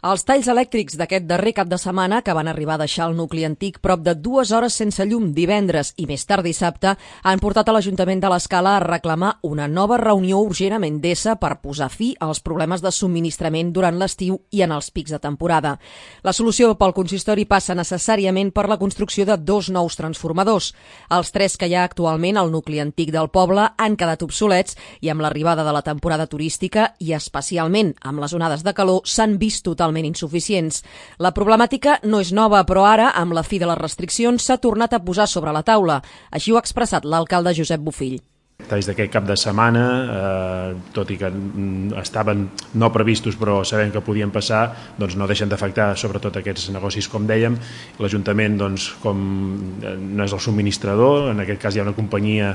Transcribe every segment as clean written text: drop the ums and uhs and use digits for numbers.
Els talls elèctrics d'aquest darrer cap de setmana, que van arribar a deixar el nucli antic prop de 2 hores sense llum divendres i més tard dissabte, han portat a l'Ajuntament de l'Escala a reclamar una nova reunió urgent amb Endesa per posar fi als problemes de subministrament durant l'estiu i en els pics de temporada. La solució pel consistori passa necessàriament per la construcció de 2 nous transformadors. Els 3 que hi ha actualment al nucli antic del poble han quedat obsolets i amb l'arribada de la temporada turística i especialment amb les onades de calor s'han vist totalment insuficients. La problemàtica no és nova, però ara, amb la fi de les restriccions, s'ha tornat a posar sobre la taula. Així ho ha expressat l'alcalde Josep Bofill. Talls d'aquest cap de setmana, tot i que estaven no previstos però sabem que podien passar, doncs no deixen d'afectar sobretot aquests negocis, com dèiem. L'Ajuntament, doncs, com no és el subministrador, en aquest cas hi ha una companyia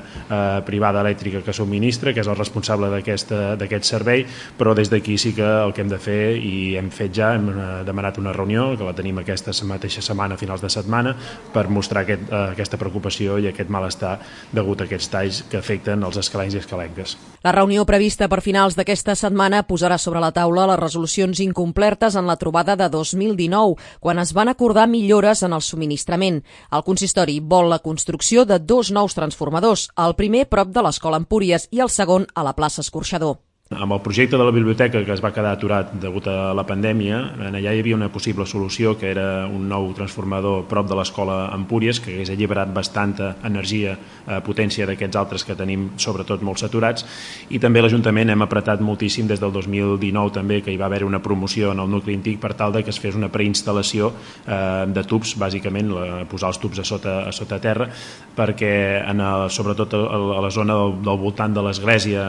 privada elèctrica que subministra, que és el responsable d'aquest servei, però des d'aquí sí que el que hem de fer, i hem fet ja, hem demanat una reunió, que la tenim aquesta mateixa setmana, a finals de setmana, per mostrar aquesta preocupació i aquest malestar degut a aquests talls que afecten els escalencs i escalenques. La reunió prevista per finals d'aquesta setmana posarà sobre la taula les resolucions incomplertes en la trobada de 2019, quan es van acordar millores en el subministrament. El consistori vol la construcció de 2 nous transformadors, el primer prop de l'Escola Empúries i el segon a la plaça Escorxador. Amb el projecte de la biblioteca, que es va quedar aturat degut a la pandèmia, allà hi havia una possible solució, que era un nou transformador prop de l'Escola Empúries, que hagués alliberat bastanta energia, potència d'aquests altres que tenim, sobretot molt saturats, i també l'Ajuntament hem apretat moltíssim des del 2019 també, que hi va haver una promoció en el nucli antic per tal de que es fes una preinstal·lació de tubs, bàsicament posar els tubs a sota terra, perquè sobretot a la zona del voltant de l'església,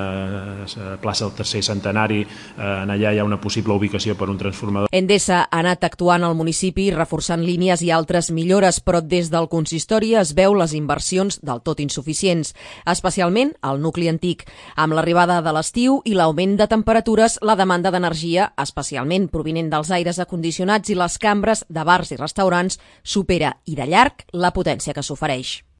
plaça tercer centenari, allà hi ha una possible ubicació per un transformador. Endesa ha anat actuant al municipi reforçant línies i altres millores, però des del consistori es veu les inversions del tot insuficients, especialment al nucli antic. Amb l'arribada de l'estiu i l'augment de temperatures, la demanda d'energia, especialment provinent dels aires acondicionats i les cambres de bars i restaurants, supera i de llarg la potència que s'ofereix.